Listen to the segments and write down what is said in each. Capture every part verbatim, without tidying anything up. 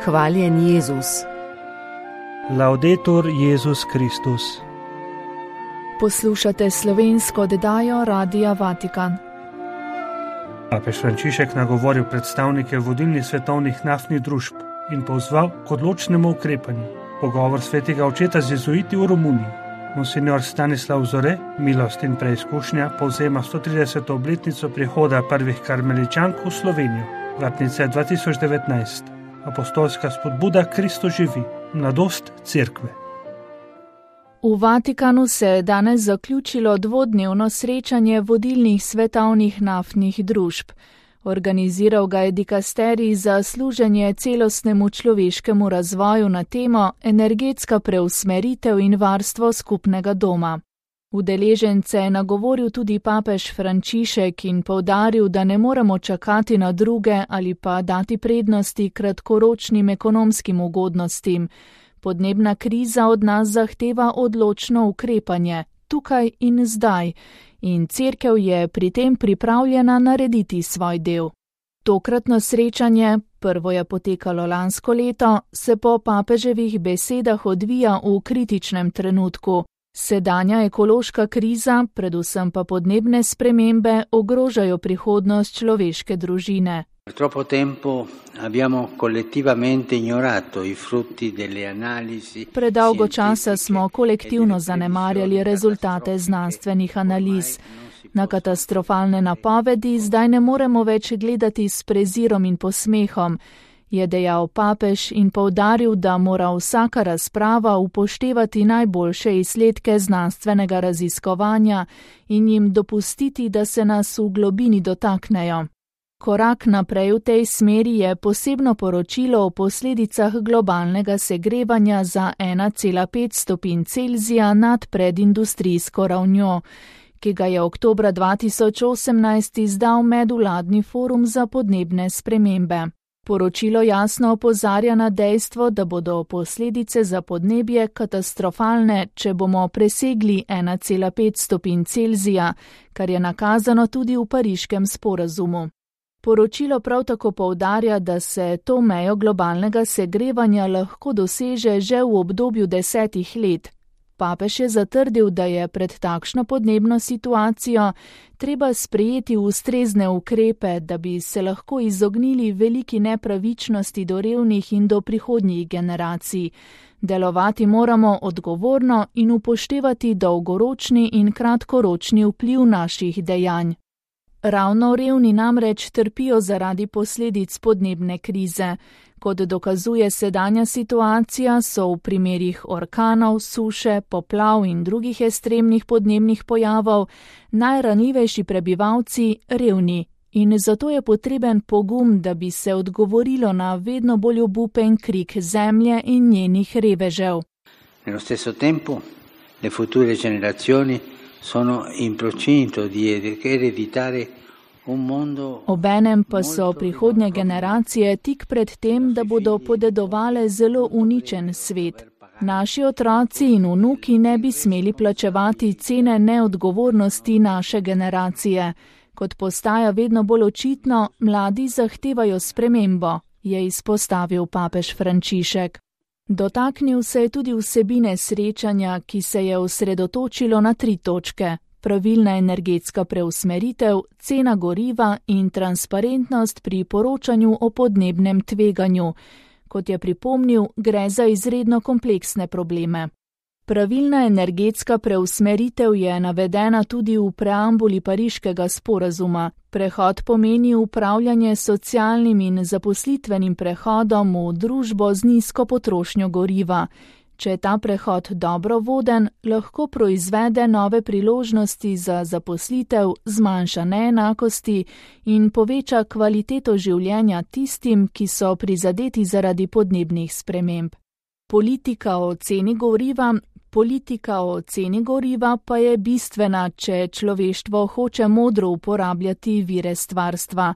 Hvaljen Jezus. Laudetur Jezus Kristus. Poslušate slovensko oddajo Radia Vatikan. Papež Frančišek nagovoril predstavnike vodilnih svetovnih naftnih družb in pozval k odločnemu ukrepanju. Pogovor svetega očeta z jezuiti v Romuniji. Monsignor Stanislav Zore, milost in preizkušnja, povzema sto trideseto obletnico prihoda prvih karmeličank v Slovenijo. Vratnice dva tisoč devetnajst. Apostolska spodbuda Kristo živi. Mladost cerkve. V Vatikanu se je danes zaključilo dvodnevno srečanje vodilnih svetovnih naftnih družb. Organiziral ga je dikasterij za služenje celostnemu človeškemu razvoju na temo energetska preusmeritev in varstvo skupnega doma. Udeležence je nagovoril tudi papež Frančišek in poudaril, da ne moremo čakati na druge ali pa dati prednosti kratkoročnim ekonomskim ugodnostim. Podnebna kriza od nas zahteva odločno ukrepanje, tukaj in zdaj, in cerkev je pri tem pripravljena narediti svoj del. Tokratno srečanje, prvo je potekalo lansko leto, se po papeževih besedah odvija v kritičnem trenutku. Sedanja ekološka kriza, predvsem pa podnebne spremembe, ogrožajo prihodnost človeške družine. Troppo tempo abbiamo collettivamente ignorato i frutti delle analisi. Predolgo časa smo kolektivno zanemarjali rezultate znanstvenih analiz. Na katastrofalne napovedi zdaj ne moremo več gledati s prezirom in posmehom, je dejal papež in poudaril, da mora vsaka razprava upoštevati najboljše izsledke znanstvenega raziskovanja in jim dopustiti, da se nas v globini dotaknejo. Korak naprej v tej smeri je posebno poročilo o posledicah globalnega segrevanja za ena cela pet stopinj Celzija nad predindustrijsko ravnjo, ki ga je oktobra dva tisoč osemnajst izdal Medvladni forum za podnebne spremembe. Poročilo jasno opozarja na dejstvo, da bodo posledice za podnebje katastrofalne, če bomo presegli ena cela pet stopinj Celzija, kar je nakazano tudi v pariškem sporazumu. Poročilo prav tako poudarja, da se to mejo globalnega segrevanja lahko doseže že v obdobju desetih let. Papež je zatrdil, da je pred takšno podnebno situacijo treba sprejeti ustrezne ukrepe, da bi se lahko izognili veliki nepravičnosti do revnih in do prihodnjih generacij. Delovati moramo odgovorno in upoštevati dolgoročni in kratkoročni vpliv naših dejanj. Ravno revni namreč trpijo zaradi posledic podnebne krize. Kot dokazuje sedanja situacija, so v primerih orkanov, suše, poplav in drugih ekstremnih podnebnih pojavov najranljivejši prebivalci revni. In zato je potreben pogum, da bi se odgovorilo na vedno bolj obupen krik zemlje in njenih revežev. Nello stesso tempo, le future generazioni sono in procinto di ereditare un mondo. Obenem pa so prihodnje generacije tik pred tem, da bodo podedovale zelo uničen svet. Naši otroci in vnuki ne bi smeli plačevati cene neodgovornosti naše generacije. Kot postaja vedno bolj očitno, mladi zahtevajo spremembo, je izpostavil papež Frančišek. Dotaknil se je tudi vsebine srečanja, ki se je osredotočilo na tri točke: pravilna energetska preusmeritev, cena goriva in transparentnost pri poročanju o podnebnem tveganju. Kot je pripomnil, gre za izredno kompleksne probleme. Pravilna energetska preusmeritev je navedena tudi v preambuli pariškega sporazuma. Prehod pomeni upravljanje s socialnim in zaposlitvenim prehodom v družbo z nizko potrošnjo goriva. Če je ta prehod dobro voden, lahko proizvede nove priložnosti za zaposlitev, zmanjša neenakosti in poveča kvaliteto življenja tistim, ki so prizadeti zaradi podnebnih sprememb. Politika o ceni goriva Politika o ceni goriva pa je bistvena, če človeštvo hoče modro uporabljati vire stvarstva.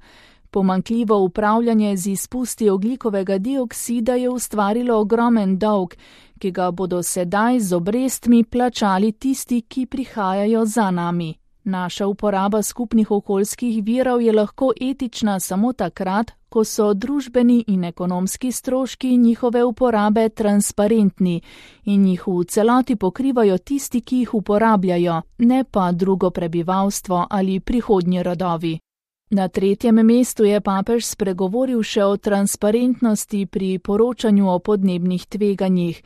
Pomanjkljivo upravljanje z izpusti ogljikovega dioksida je ustvarilo ogromen dolg, ki ga bodo sedaj z obrestmi plačali tisti, ki prihajajo za nami. Naša uporaba skupnih okoljskih virov je lahko etična samo takrat, ko so družbeni in ekonomski stroški njihove uporabe transparentni in jih v celoti pokrivajo tisti, ki jih uporabljajo, ne pa drugo prebivalstvo ali prihodnji rodovi. Na tretjem mestu je papež spregovoril še o transparentnosti pri poročanju o podnebnih tveganjih.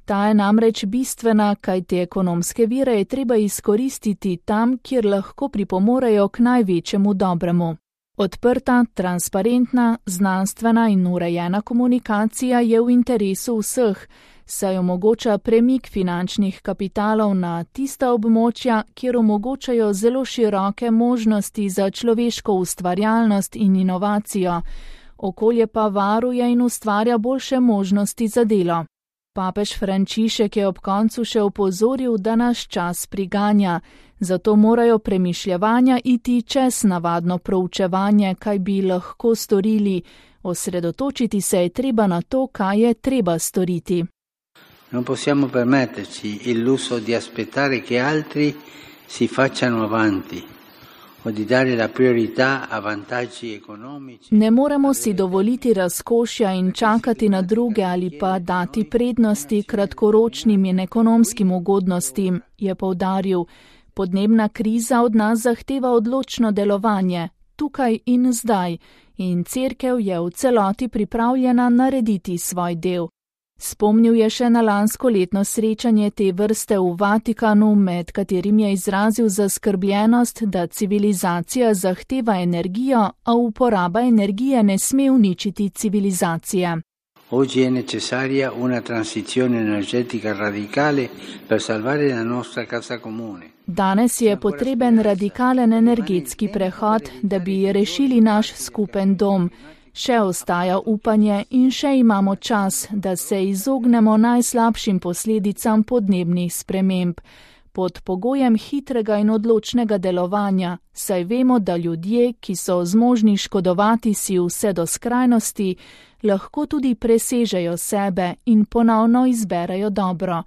Ta je namreč bistvena, kajti ekonomske vire je treba izkoristiti tam, kjer lahko pripomorejo k največjemu dobremu. Odprta, transparentna, znanstvena in urejena komunikacija je v interesu vseh, saj omogoča premik finančnih kapitalov na tista območja, kjer omogočajo zelo široke možnosti za človeško ustvarjalnost in inovacijo, okolje pa varuje in ustvarja boljše možnosti za delo. Papež Frančišek je ob koncu še opozoril, da nas čas priganja, zato morajo premišljevanja iti čez navadno proučevanje, kaj bi lahko storili, osredotočiti se je treba na to, kaj je treba storiti. Non possiamo permetterci il lusso di aspettare che altri si facciano avanti o di dare la priorità a vantaggi economici. Ne moremo si dovoliti razkošja in čakati na druge ali pa dati prednosti kratkoročnim in ekonomskim ugodnostim, je poudaril. Podnebna kriza od nas zahteva odločno delovanje, tukaj in zdaj, in cerkev je v celoti pripravljena narediti svoj del. Spomnil je še na lansko letno srečanje te vrste v Vatikanu, med katerim je izrazil zaskrbljenost, da civilizacija zahteva energijo, a uporaba energije ne sme uničiti civilizacije. Oggi è necessaria una transizione energetica radicale per salvare la nostra casa comune. Danes je potreben radikalen energetski prehod, da bi rešili naš skupen dom. Še ostaja upanje in še imamo čas, da se izognemo najslabšim posledicam podnebnih sprememb. Pod pogojem hitrega in odločnega delovanja, saj vemo, da ljudje, ki so zmožni škodovati si vse do skrajnosti, lahko tudi presežejo sebe in ponovno izberejo dobro.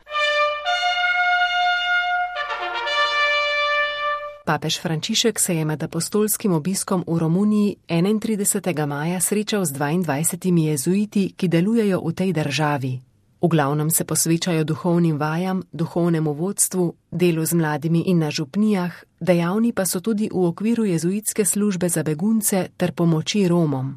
Papež Frančišek se je med apostolskim obiskom v Romuniji enaintridesetega maja srečal z dvaindvajsetimi jezuiti, ki delujejo v tej državi. V glavnem se posvečajo duhovnim vajam, duhovnemu vodstvu, delu z mladimi in na župnijah, dejavni pa so tudi v okviru jezuitske službe za begunce ter pomoči Romom.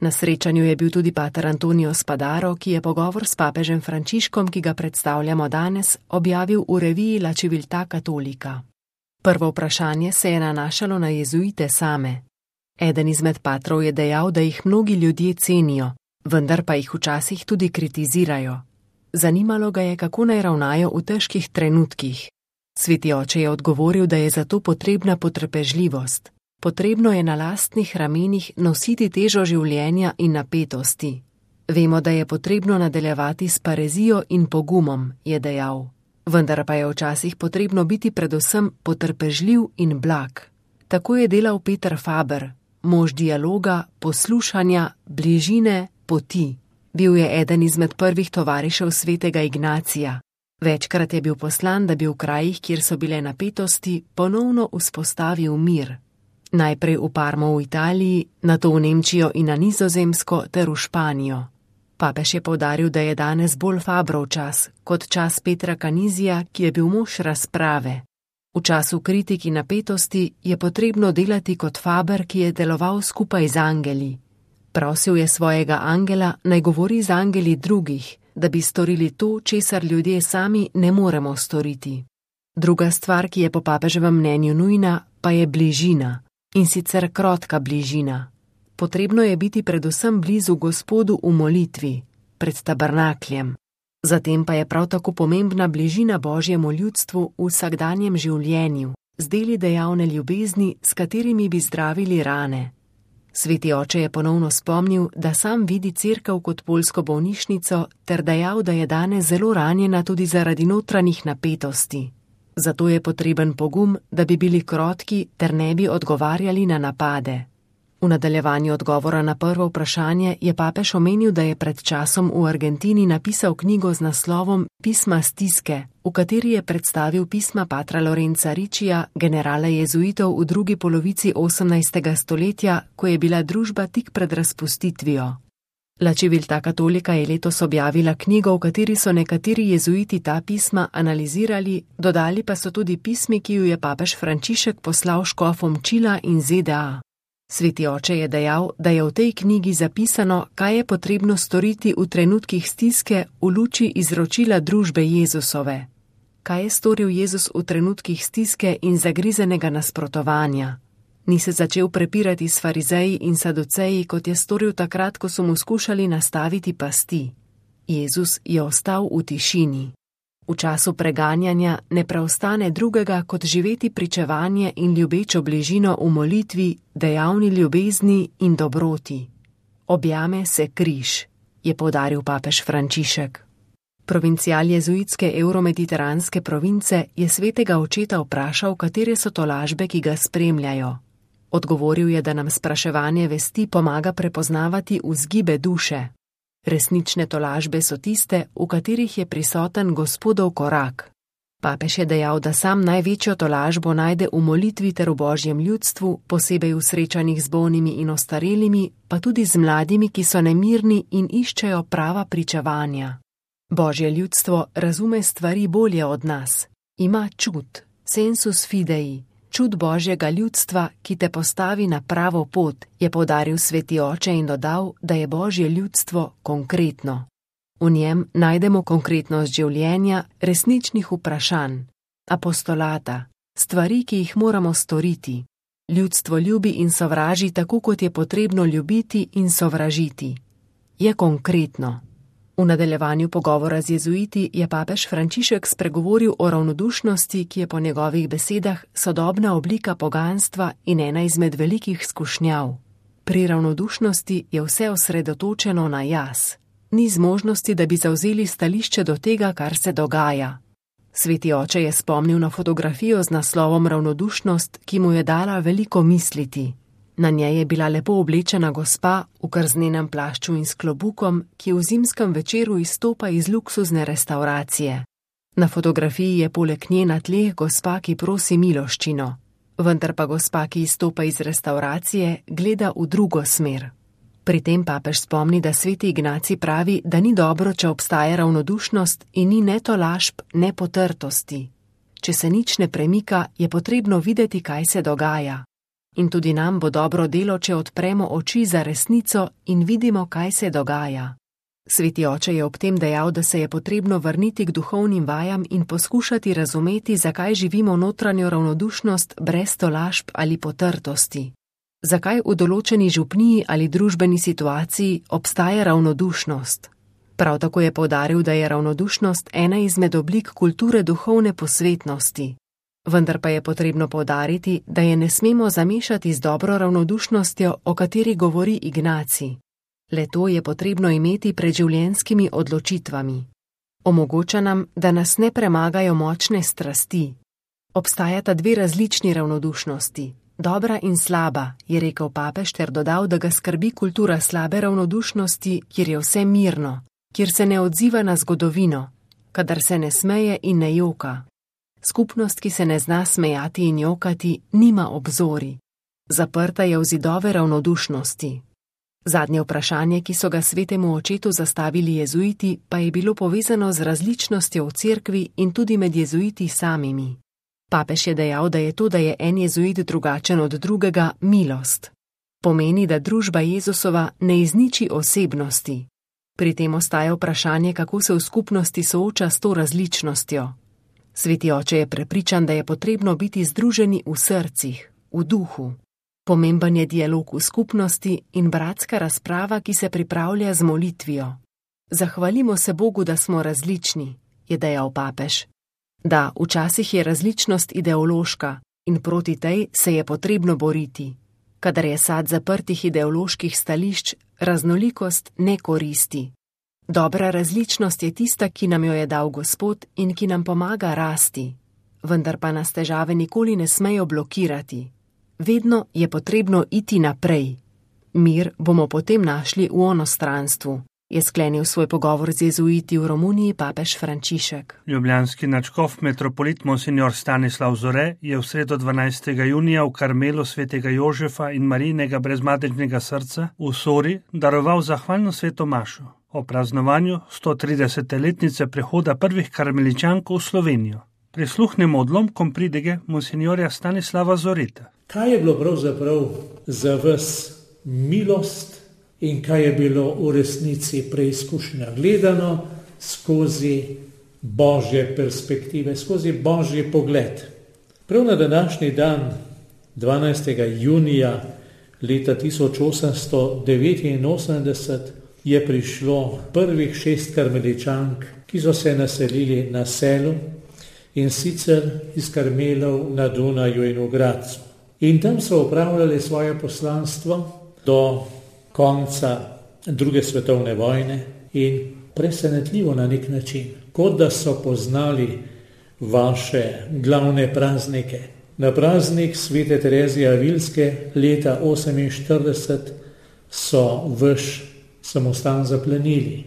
Na srečanju je bil tudi pater Antonio Spadaro, ki je pogovor s papežem Frančiškom, ki ga predstavljamo danes, objavil v reviji La Civiltà Cattolica. Prvo vprašanje se je nanašalo na jezuite same. Eden izmed patrov je dejal, da jih mnogi ljudje cenijo, vendar pa jih včasih tudi kritizirajo. Zanimalo ga je, kako naj ravnajo v težkih trenutkih. Sveti oče je odgovoril, da je zato potrebna potrpežljivost. Potrebno je na lastnih ramenih nositi težo življenja in napetosti. Vemo, da je potrebno nadaljevati s parezijo in pogumom, je dejal. Vendar pa je včasih potrebno biti predvsem potrpežljiv in blag. Tako je delal Peter Faber, mož dialoga, poslušanja, bližine, poti. Bil je eden izmed prvih tovarišev svetega Ignacija. Večkrat je bil poslan, da bi v krajih, kjer so bile napetosti, ponovno vzpostavil mir. Najprej v Parmo v Italiji, nato v Nemčijo in na Nizozemsko ter v Španijo. Papež je poudaril, da je danes bolj Fabrov čas, kot čas Petra Canizija, ki je bil mož razprave. V času kritik in napetosti je potrebno delati kot Faber, ki je deloval skupaj z angeli. Prosil je svojega angela, naj govori z angeli drugih, da bi storili to, česar ljudje sami ne moremo storiti. Druga stvar, ki je po papeževem mnenju nujna, pa je bližina, in sicer krotka bližina. Potrebno je biti predvsem blizu Gospodu v molitvi, pred tabernakljem. Zatem pa je prav tako pomembna bližina Božjemu ljudstvu v vsakdanjem življenju, z deli dejavne ljubezni, s katerimi bi zdravili rane. Sveti oče je ponovno spomnil, da sam vidi cerkev kot poljsko bolnišnico ter dejal, da je danes zelo ranjena tudi zaradi notranjih napetosti. Zato je potreben pogum, da bi bili krotki ter ne bi odgovarjali na napade. V nadaljevanju odgovora na prvo vprašanje je papež omenil, da je pred časom v Argentini napisal knjigo z naslovom Pisma stiske, v kateri je predstavil pisma patra Lorenza Riccija, generala jezuitov v drugi polovici osemnajstega stoletja, ko je bila družba tik pred razpustitvijo. La Civiltà Cattolica je letos objavila knjigo, v kateri so nekateri jezuiti ta pisma analizirali, dodali pa so tudi pismi, ki ju je papež Frančišek poslal škofom Čila in Z D A. Sveti oče je dejal, da je v tej knjigi zapisano, kaj je potrebno storiti v trenutkih stiske v luči izročila družbe Jezusove. Kaj je storil Jezus v trenutkih stiske in zagrizenega nasprotovanja? Ni se začel prepirati s farizeji in saduceji, kot je storil takrat, ko so mu skušali nastaviti pasti. Jezus je ostal v tišini. V času preganjanja ne preostane drugega, kot živeti pričevanje in ljubečo bližino v molitvi, dejavni ljubezni in dobroti. Objame se križ, je poudaril papež Frančišek. Provincial jezuitske evromediteranske province je svetega očeta vprašal, katere so tolažbe, ki ga spremljajo. Odgovoril je, da nam spraševanje vesti pomaga prepoznavati vzgibe duše. Resnične tolažbe so tiste, v katerih je prisoten Gospodov korak. Papež je dejal, da sam največjo tolažbo najde v molitvi ter v Božjem ljudstvu, posebej v srečanjih z bolnimi in ostarelimi, pa tudi z mladimi, ki so nemirni in iščejo prava pričevanja. Božje ljudstvo razume stvari bolje od nas. Ima čut, sensus fidei, čut Božjega ljudstva, ki te postavi na pravo pot, je poudaril sveti oče in dodal, da je Božje ljudstvo konkretno. V njem najdemo konkretnost življenja, resničnih vprašanj, apostolata, stvari, ki jih moramo storiti. Ljudstvo ljubi in sovraži tako, kot je potrebno ljubiti in sovražiti. Je konkretno. V nadaljevanju pogovora z jezuiti je papež Frančišek spregovoril o ravnodušnosti, ki je po njegovih besedah sodobna oblika poganstva in ena izmed velikih skušnjav. Pri ravnodušnosti je vse osredotočeno na jaz. Ni zmožnosti, da bi zavzeli stališče do tega, kar se dogaja. Sveti oče je spomnil na fotografijo z naslovom Ravnodušnost, ki mu je dala veliko misliti. Na njej je bila lepo oblečena gospa v krznenem plašču in s klobukom, ki v zimskem večeru izstopa iz luksuzne restauracije. Na fotografiji je poleg nje na tleh gospa, ki prosi miloščino, vendar pa gospa, ki izstopa iz restauracije, gleda v drugo smer. Pri tem papež spomni, da sveti Ignacij pravi, da ni dobro, če obstaja ravnodušnost in ni ne tolažb, ne potrtosti. Če se nič ne premika, je potrebno videti, kaj se dogaja. In tudi nam bo dobro delo, če odpremo oči za resnico in vidimo, kaj se dogaja. Sveti oče je ob tem dejal, da se je potrebno vrniti k duhovnim vajam in poskušati razumeti, zakaj živimo notranjo ravnodušnost brez tolažb ali potrtosti. Zakaj v določeni župniji ali družbeni situaciji obstaja ravnodušnost. Prav tako je poudaril, da je ravnodušnost ena izmed oblik kulture duhovne posvetnosti. Vendar pa je potrebno poudariti, da je ne smemo zamešati z dobro ravnodušnostjo, o kateri govori Ignacij. Le to je potrebno imeti pred življenjskimi odločitvami. Omogoča nam, da nas ne premagajo močne strasti. Obstajata dve različni ravnodušnosti, dobra in slaba, je rekel papež ter dodal, da ga skrbi kultura slabe ravnodušnosti, kjer je vse mirno, kjer se ne odziva na zgodovino, kadar se ne smeje in ne joka. Skupnost, ki se ne zna smejati in jokati, nima obzori. Zaprta je v zidove ravnodušnosti. Zadnje vprašanje, ki so ga svetemu očetu zastavili jezuiti, pa je bilo povezano z različnostjo v cerkvi in tudi med jezuiti samimi. Papež je dejal, da je to, da je en jezuit drugačen od drugega, milost. Pomeni, da družba Jezusova ne izniči osebnosti. Pri tem ostaja vprašanje, kako se v skupnosti sooča s to različnostjo. Sveti oče je prepričan, da je potrebno biti združeni v srcih, v duhu. Pomemben je dialog v skupnosti in bratska razprava, ki se pripravlja z molitvijo. Zahvalimo se Bogu, da smo različni, je dejal papež. Da, včasih je različnost ideološka in proti tej se je potrebno boriti. Kadar je sad zaprtih ideoloških stališč, raznolikost ne koristi. Dobra različnost je tista, ki nam jo je dal Gospod in ki nam pomaga rasti, vendar pa nas težave nikoli ne smejo blokirati. Vedno je potrebno iti naprej. Mir bomo potem našli v onostranstvu, je sklenil svoj pogovor z jezuiti v Romuniji papež Frančišek. Ljubljanski nadškof metropolit monsignor Stanislav Zore je v sredo dvanajstega junija v Karmelu svetega Jožefa in Marijinega brezmadežnega srca v Sori daroval zahvalno sveto mašo o praznovanju stotridesete letnice prehoda prvih karmeličankov v Slovenijo. Prisluhnemo odlomkom pridige monsignorja Stanislava Zoreta. Kaj je bilo pravzaprav za vas milost in kaj je bilo v resnici preizkušnja gledano skozi božje perspektive, skozi božji pogled? Prav na današnji dan, dvanajstega junija leta tisoč osemsto devetinosemdeset, je prišlo prvih šest karmeličank, ki so se naselili na Selu, in sicer iz Karmelov na Dunaju in v Gradcu. In tam so opravljali svoje poslanstvo do konca druge svetovne vojne in presenetljivo na nek način, kot da so poznali vaše glavne praznike. Na praznik svete Terezije Avilske leta oseminštirideset so vaš samostan zaplenili.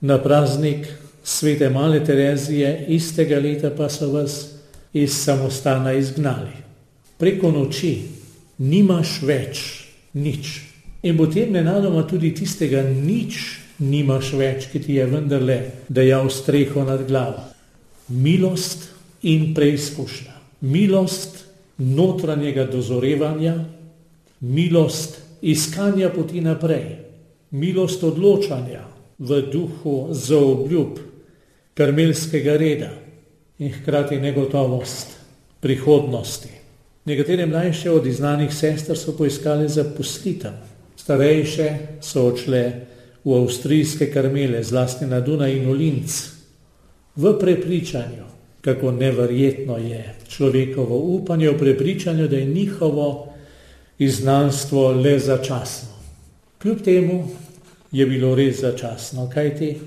Na praznik svete Male Terezije istega leta pa so vas iz samostana izgnali. Preko noči nimaš več nič. In potem nenadoma tudi tistega nič nimaš več, ki ti je vendarle dajal streho nad glavo. Milost in preizkušnja. Milost notranjega dozorevanja, milost iskanja poti naprej, milost odločanja v duhu zaobljub karmelskega reda in hkrati negotovost prihodnosti. Nekatere mlajše od izznanih sester so poiskali zaposlitev. Starejše so odšle v avstrijske Karmele, zlasti na Dunaj in v Linz, v prepričanju, kako neverjetno je človekovo upanje, v prepričanju, da je njihovo izgnanstvo le začasno. Kljub temu je bilo res začasno, kajti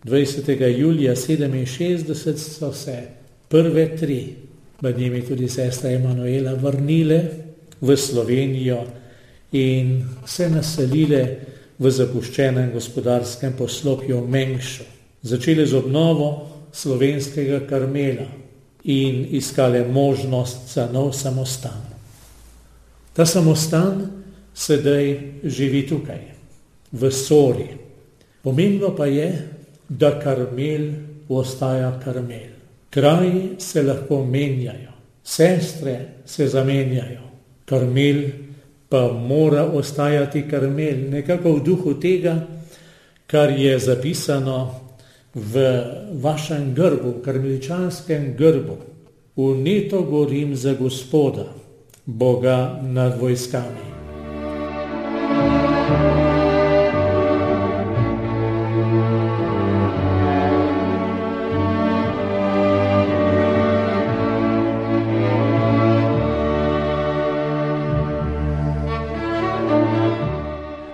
dvajsetega julija sedeminšestdeset so se prve tri, med njimi tudi sestra Emanuela, vrnile v Slovenijo in se naselile v zapuščenem gospodarskem poslopju v Mengšu. Začele z obnovo slovenskega Karmela in iskale možnost za nov samostan. Ta samostan sedaj živi tukaj, v Sori. Pomembno pa je, da Karmel ostaja Karmel. Kraji se lahko menjajo, sestre se zamenjajo, Karmel pa mora ostajati Karmel, nekako v duhu tega, kar je zapisano v vašem grbu, karmeličanskem grbu. Vneto gorim za Gospoda, Boga nad vojskami.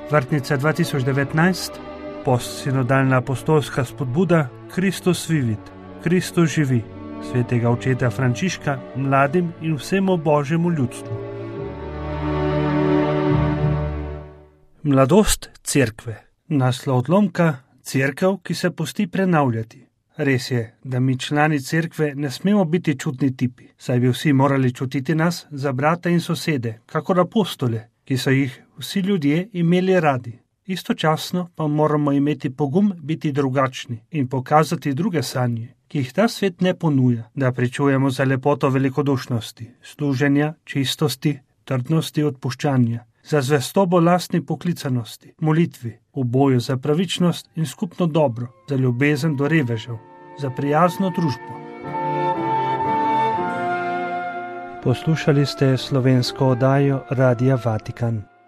Vrtnica dva tisoč devetnajst, postsinodalna apostolska spodbuda Kristus vivit, Kristus živi, svetega očeta Frančiška mladim in vsemu božjemu ljudstvu. Mladost cerkve. Naslov odlomka: cerkev, ki se pusti prenavljati. Res je, da mi člani cerkve ne smemo biti čudni tipi, saj bi vsi morali čutiti nas za brata in sosede, kakor apostole, ki so jih vsi ljudje imeli radi. Istočasno pa moramo imeti pogum biti drugačni in pokazati druge sanje, ki jih ta svet ne ponuja, da pričujemo za lepoto velikodušnosti, služenja, čistosti, trdnosti, odpuščanja, za zvestobo lastni poklicanosti, molitvi, v boju za pravičnost in skupno dobro, za ljubezen do revežev, za prijazno družbo. Poslušali ste slovensko oddajo Radia Vatikan.